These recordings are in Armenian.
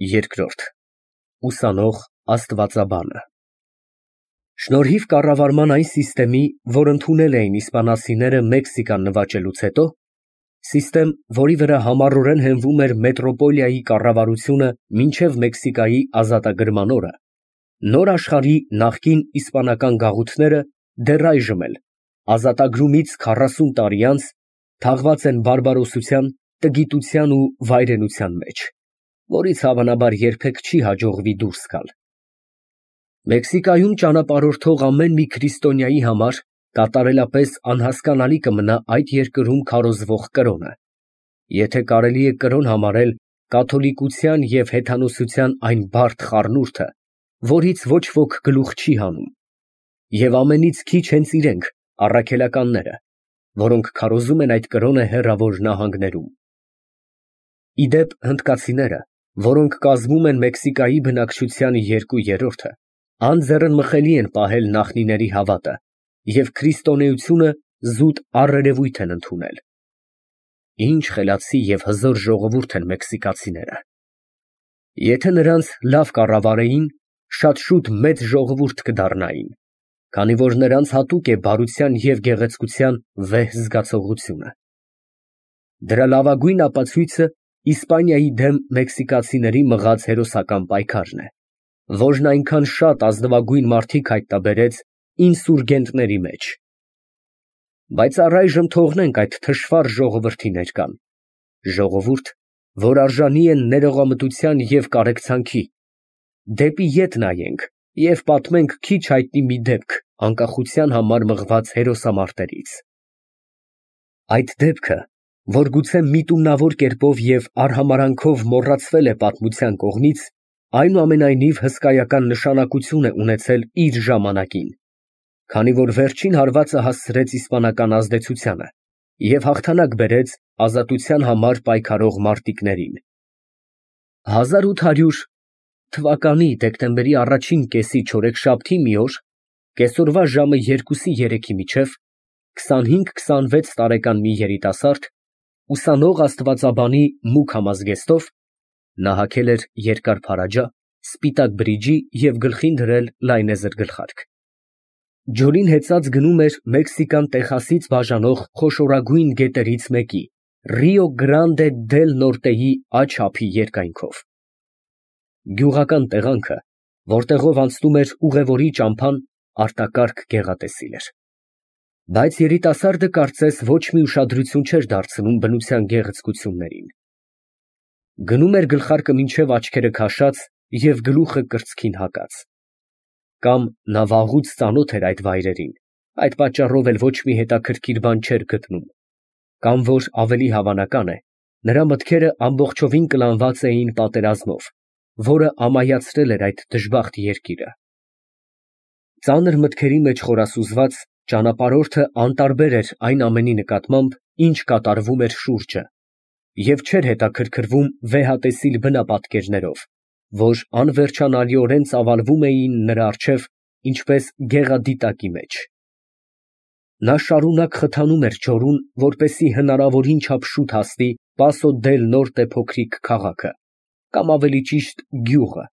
Երկրորդ ուսանող աստվածաբանը Շնորհիվ կառավարման այն սիստեմի, որ ընդունել էին իսպանացիները Մեքսիկան նվաճելուց հետո, սիստեմ, որի վրա համառորեն հենվում էր մետրոպոլիայի կառավարությունը մինչև Մեքսիկայի ազատագրման օրը, նոր աշխարհի նախկին իսպանական գաղութները դեռ այժմ էլ, ազատագրումից 40 տարի անց, թաղված են բարբարոսության, տգիտության ու վայրենության մեջ, որից հավանաբար երբեք չի հաջողվի դուրս գալ։ Մեքսիկայում ճանապարհորդող ամեն մի քրիստոնյայի համար կատարելապես անհասկանալի կմնա այդ երկրում քարոզվող կրոնը, եթե կարելի է կրոն համարել կաթոլիկության և հեթանոսության այն բարդ խառնուրդը, որից ոչ ոք գլուխ չի հանում, և ամենից քիչ հենց իրենք, առաքելականները, որոնք քարոզում են այդ կրոնը հեռավոր նահանգներում։ Ի դեպ, հնդկացիները, որոնք կազմում են Մեքսիկայի բնակչության 2/3, անձեռնմխելի են պահել նախնիների հավատը և քրիստոնեությունը զուտ առերևույթ են ընդունել։ Ինչ խելացի և հզոր ժողովուրդ են մեքսիկացիները։ Եթե նրանց լավ կառավարեին, շատ շուտ մեծ ժողովուրդ կդառնային, քանի որ նրանց հատուկ է բարության և գեղեցկության վեհ զգացողությունը։ Դրա լավագույն ապացույցը Իսպանիայի դեմ մեքսիկացիների մղած հերոսական պայքարն է, որն այնքան շատ ազնվագույն մարդիկ հայտնաբերեց ինսուրգենտների մեջ։ Բայց առայժմ թողնենք այդ թշվառ ժողովրդի ներկան, ժողովուրդ, որ արժանի է ներողամտության և կարեկցանքի, դեպի ետ նայենք և պատմենք քիչ հայտնի մի դեպք անկախության համար մղված հերոսամարտերից։ Այդ դեպքը, որ գուցե միտումնավոր կերպով և արհամարհանքով մոռացվել է պատմության կողմից, այնուամենայնիվ հսկայական նշանակություն է ունեցել իր ժամանակին, քանի որ վերջին հարվածը հասցրեց իսպանական ազդեցությանը և հաղթանակ բերեց ազատության համար պայքարող մարտիկներին։ 1800 թվականի դեկտեմբերի առաջին կեսի չորեքշաբթի մի օր, կեսօրվա ժամը 2-3-ի միջև, 25-26 տարեկան մի երիտասարդ, ուսանող աստվածաբանի մուգ համազգեստով, նա հագել էր երկար փարաջա, սպիտակ բրիջի և գլխին դրել լայնեզր գլխարկ, ջուրին հեծած գնում էր Մեքսիկան Տեխասից բաժանող խոշորագույն գետերից մեկի՝ Ռիո Գրանդե դել Նորտեի աջ ափի երկայնքով։ Գյուղական տեղանքը, որտեղով անցնում էր ուղևորի ճամփան, արտակարգ գեղատեսիլ էր, բայց երիտասարդը կարծես ոչ մի ուշադրություն չէր դարձնում բնության գեղեցկություններին։ Գնում էր գլխարկը մինչև աչքերը քաշած և գլուխը կրծքին հակած։ Կամ նա վաղուց ծանոթ էր այդ վայրերին, այդ պատճառով էլ ոչ մի հետաքրքիր բան չէր գտնում, կամ որ ավելի հավանական է, նրա մտքերը ամբողջովին կլանված էին պատերազմով, որը ամայացրել էր այդ դժբախտ երկիրը։ Ծանր մտքերի մեջ խորասուզված, ճանապարհորդը անտարբեր էր այն ամենի նկատմամբ, ինչ կատարվում էր շուրջը, և չէր հետաքրքրվում վեհատեսիլ բնապատկերներով, որ անվերջանալիորեն ծավալվում էին նրա առջև, ինչպես գեղադիտակի մեջ։ Նա շարունակ խթանում էր ջորուն, որպեսզի հնարավորին չափ շուտ հասնի Պասո դել Նորտե փոքրիկ քաղաքը, կամ ավելի ճիշտ գյուղը,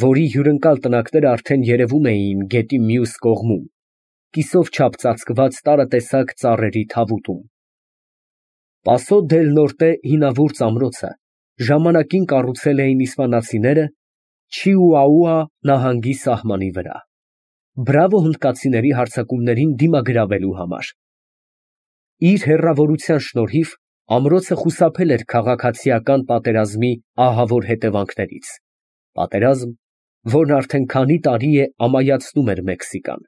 որի հյուրընկալ տնակները արդեն երևում էին գետի մյուս կողմում, կիսով չափ ծածկված տարատեսակ ծառերի թավուտում։ Պասո դել Նորտե հինավուրց ամրոցը ժամանակին կառուցել էին իսպանացիները Չիուաուա նահանգի սահմանի վրա, բրավո հնդկացիների հարձակումներին դիմագրավելու համար։ Իր հեռավորության շնորհիվ ամրոցը խուսափել էր քաղաքացիական պատերազմի ահավոր հետևանքներից, պատերազմ, որն արդեն քանի տարի է ամայացնում էր Մեքսիկան։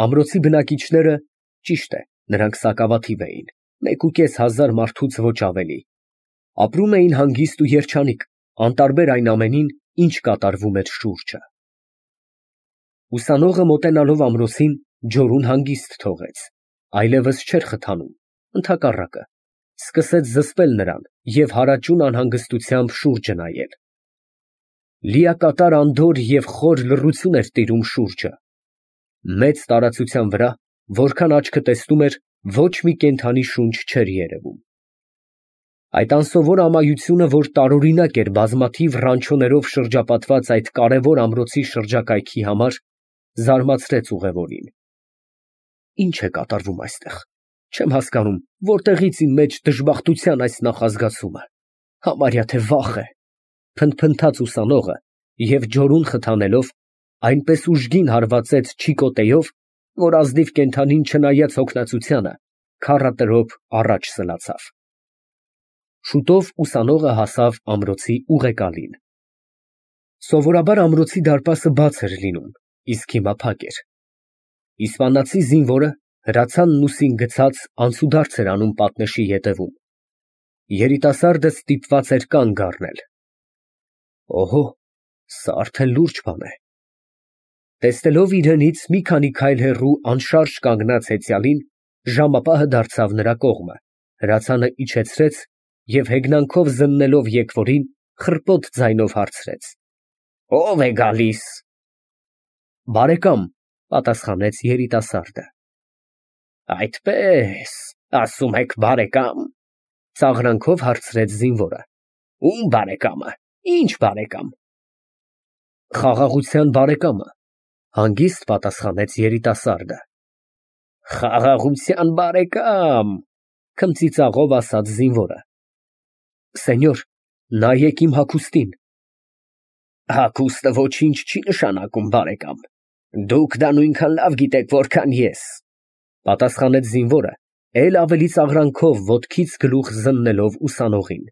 Ամրոցի բնակիչները, ճիշտ է, նրանք սակավաթիվ էին, 1500 մարդուց ոչ ավելի, ապրում էին հանգիստ ու երջանիկ, անտարբեր այն ամենին, ինչ կատարվում էր շուրջը։ Ուսանողը մոտենալով ամրոցին, ջորուն հանգիստ թողեց, այլևս չէր խթանում, ընդհակառակը, սկսեց զսպել նրան և հարաճուն անհանգստությամբ շուրջը նայել։ Լիակատար անդորր և խոր լռություն էր տիրում շուրջը։ Մեծ տարածության վրա, որքան աչքը տեսնում էր, ոչ մի կենդանի շունչ չէր երևում։ Այդ անսովոր ամայությունը, որ տարօրինակ էր բազմաթիվ ռանչոներով շրջապատված այդ կարևոր ամրոցի շրջակայքի համար, զարմացրեց ուղևորին։ Ինչ է կատարվում այստեղ։ Չեմ հասկանում, որտեղից իմ մեջ դժբախտության այս նախազգացումը, համարյա թե վախ է, փնթփնթաց ուսանողը և ջորուն խթանելով այնպես ուժգին հարվածեց չիկոտեով, որ ազնիվ կենդանին չնայած հոգնածությանը, քառատրոփ առաջ սլացավ։ Շուտով ուսանողը հասավ ամրոցի ուղեկալին։ Սովորաբար ամրոցի դարպասը բաց էր լինում, իսկ հիմա փակ էր։ Իսպանացի զինվորը հրացանն ուսին գցած անցուդարձ էր անում պատնեշի ետևում։ Երիտասարդը ստիպված էր կանգ առնել։ Օհո, սա արդեն լուրջ բան է։ Տեսնելով իրենից մի քանի քայլ հեռու անշարժ կանգնած հեծյալին, ժամապահը դարձավ նրա կողմը, հրացանը իջեցրեց և հեգնանքով զննելով եկվորին, խռպոտ ձայնով հարցրեց. Ո՞վ է գալիս։ Բարեկամ, պատասխանեց երիտասարդը։ Այդպես, ասում եք բարեկամ, ծաղրանքով հարցրեց զինվորը։ Ում բարեկամը, ինչ բարեկամ։ Խաղաղության բարեկամը, հանգիստ պատասխանեց երիտասարդը։ Խաղաղության բարեկամ, քմծիծաղով ասաց զինվորը։ Սենյոր, նայեք իմ հագուստին։ Հագուստը ոչինչ չի նշանակում, բարեկամ։ Դուք դա նույնքան լավ գիտեք, որքան ես, պատասխանեց զինվորը, էլ ավելի ծաղրանքով ոտքից գլուխ զննելով ուսանողին։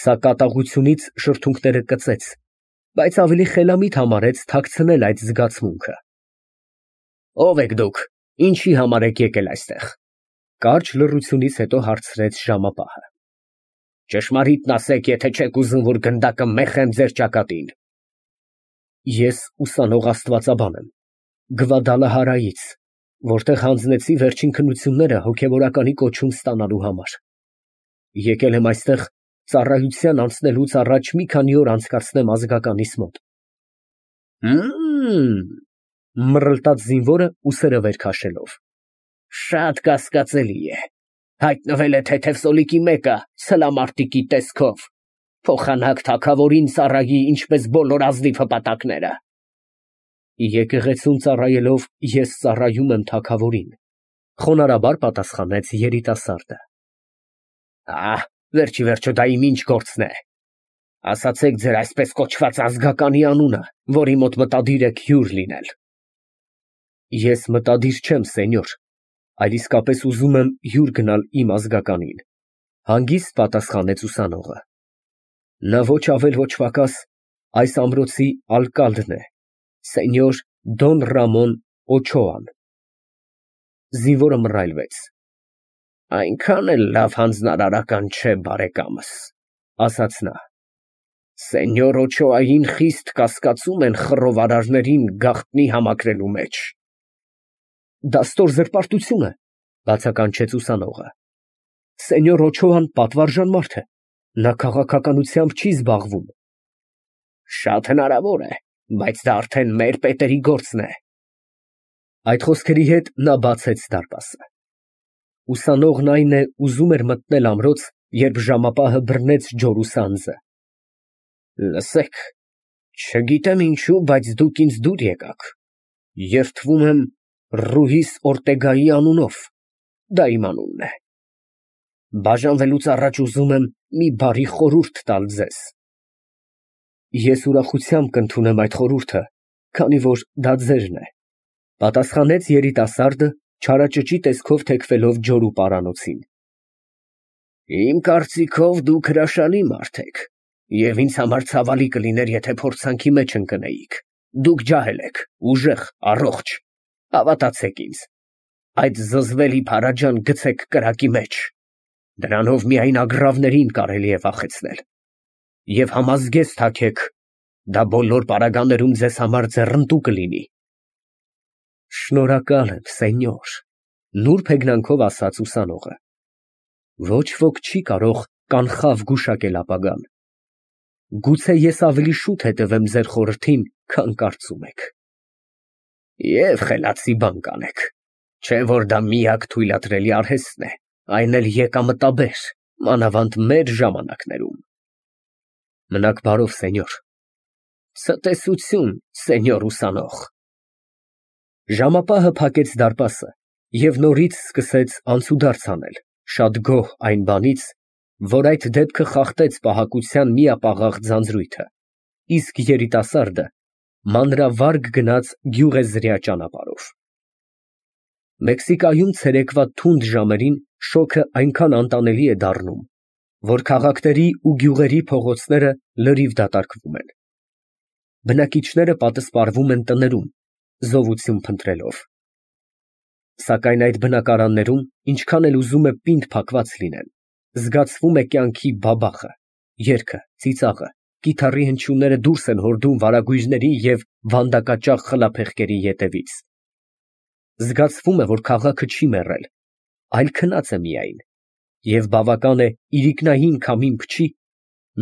Սա կատաղությունից շրթունքները կծեց, բայց ավելի խելամիտ համարեց թաքցնել այդ զգացմունքը։ Ո՞վ եք դուք, ինչի համար եք եկել այստեղ։ Կարճ լռությունից հետո հարցրեց ժամապահը։ Ճշմարիտն ասեք, եթե չեք ուզում, որ գնդակը մեխեմ ձեր ճակատին։ Ես ուսանող աստվածաբան եմ, Գվադալահարայից, որտեղ հանձնեցի վերջին քննությունները հոգևորականի կոչում ստանալու համար։ Եկել եմ այստեղ ծառայության անցնելուց առաջ մի քանի օր անցկացնեմ ազգականիս մոտ։ Մռլտաց զինվորը ուսերը վեր քաշելով։ Շատ կասկածելի է։ Հայտնվել է թեթև սոլիկի մեկը, սլամարտիկի տեսքով, փոխանակ թագավորին ծառայի, ինչպես բոլոր ազնիվ հպատակները։ Եկեղեցուն ծառայելով ես ծառայում եմ թագավորին, խոնարհաբար պատասխանեց երիտասարդը։ Վերջի վերջո դա իմ ինչ գործն է։ Ասացեք ձեր այսպես կոչված ազգականի անունը, որի մոտ մտադիր եք հյուր լինել։ Ես մտադիր չեմ, սենյոր, այլ իսկապես ուզում եմ հյուր գնալ իմ ազգականին, հանգիստ պատասխանեց ուսանողը։ Նա ոչ ավել ոչ պակաս այս ամրոցի ալկալդն է, սենյոր Դոն Ռամոն Օչոան։ Զինվորը մռայլվեց։ Այնքան էլ լավ հանձնարարական չէ, բարեկամս, ասաց նա։ Սենյոր Օչոային խիստ կասկածում են խռովարարներին գաղտնի համակրելու մեջ։ Դա ստոր զրպարտություն է, բացականչեց ուսանողը։ Սենյոր Օչոան պատվարժան մարդ է, նա քաղաքականությամբ չի զբաղվում։ Շատ հնարավոր է, բայց դա արդեն մեր պետերի գործն է։ Այդ խոսքերի հետ նա բացեց դարպասը։ Ուսանողն այն է ուզում էր մտնել ամրոց, երբ ժամապահը բռնեց ջորու սանձը։ Լսեք, չգիտեմ ինչու, բայց դուք ինձ դուր եկաք։ Երդվում եմ Ռուհիս Օրտեգայի անունով, դա իմ անունն է։ Բաժանվելուց առաջ ուզում եմ մի բարի խորհուրդ տալ ձեզ։ Ես ուրախությամբ կընդունեմ այդ խորհուրդը, քանի որ դա ձերն է, պատասխանեց երիտասարդը, չարաճճի տեսքով թեքվելով ջորու պարանոցին։ Իմ կարծիքով դուք հրաշալի մարդ եք, և ինձ համար ցավալի կլիներ, եթե փորձանքի մեջ ընկնեիք։ Դուք ջահել եք, ուժեղ, առողջ, հավատացեք ինձ, այդ զզվելի փարաջան գցեք կրակի մեջ, դրանով միայն ագռավներին կարելի է վախեցնել, և համազգեստ հագեք, դա բոլոր պարագաներում ձեզ համար ձեռնտու կլինի։ Շնորհակալ եմ, սենյոր, նուրբ հեգնանքով ասաց ուսանողը։ Ոչ ոք չի կարող կանխավ գուշակել ապագան։ Գուցե ես ավելի շուտ հետևեմ ձեր խորհրդին, քան կարծում եք։ Եվ խելացի բան կանեք, չէ որ դա միակ թույլատրելի արհեստն է, այն էլ եկամտաբեր, մանավանդ մեր ժամանակներում։ Մնաք բարով, սենյոր։ Ցտեսություն, սենյոր ուսանող։ Ժամապահը փակեց դարպասը և նորից սկսեց անցուդարձ անել, շատ գոհ այն բանից, որ այդ դեպքը խախտեց պահակության միապաղաղ ձանձրույթը, իսկ երիտասարդը մանրավարգ գնաց գյուղեզրյա ճանապարհով։ Մեքսիկայում ցերեկվա թունդ ժամերին շոգը այնքան անտանելի է դառնում, որ քաղաքների ու գյուղերի փողոցները լրիվ դատարկվում են։ Բնակիչները պատսպարվում են տներում, զովություն փնտրելով։ Սակայն այդ բնակարաններում, ինչքան էլ ուզում է պինդ փակված լինեն, զգացվում է կյանքի բաբախը, երգը, ծիծաղը, կիթառի հնչյունները դուրս են հորդում վարագույրների և վանդակաճաղ խլափեղկերի ետևից։ Զգացվում է, որ քաղաքը չի մեռել, այլ քնած է միայն, և բավական է իրիկնային քամին փչի,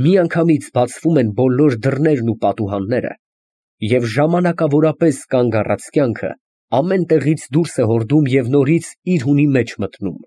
միանգամից բացվում են բոլոր դռներն ու պատուհանները, և ժամանակավորապես կանգ առած կյանքը ամեն տեղից դուրս է հորդում և նորից իր հունի մեջ մտնում։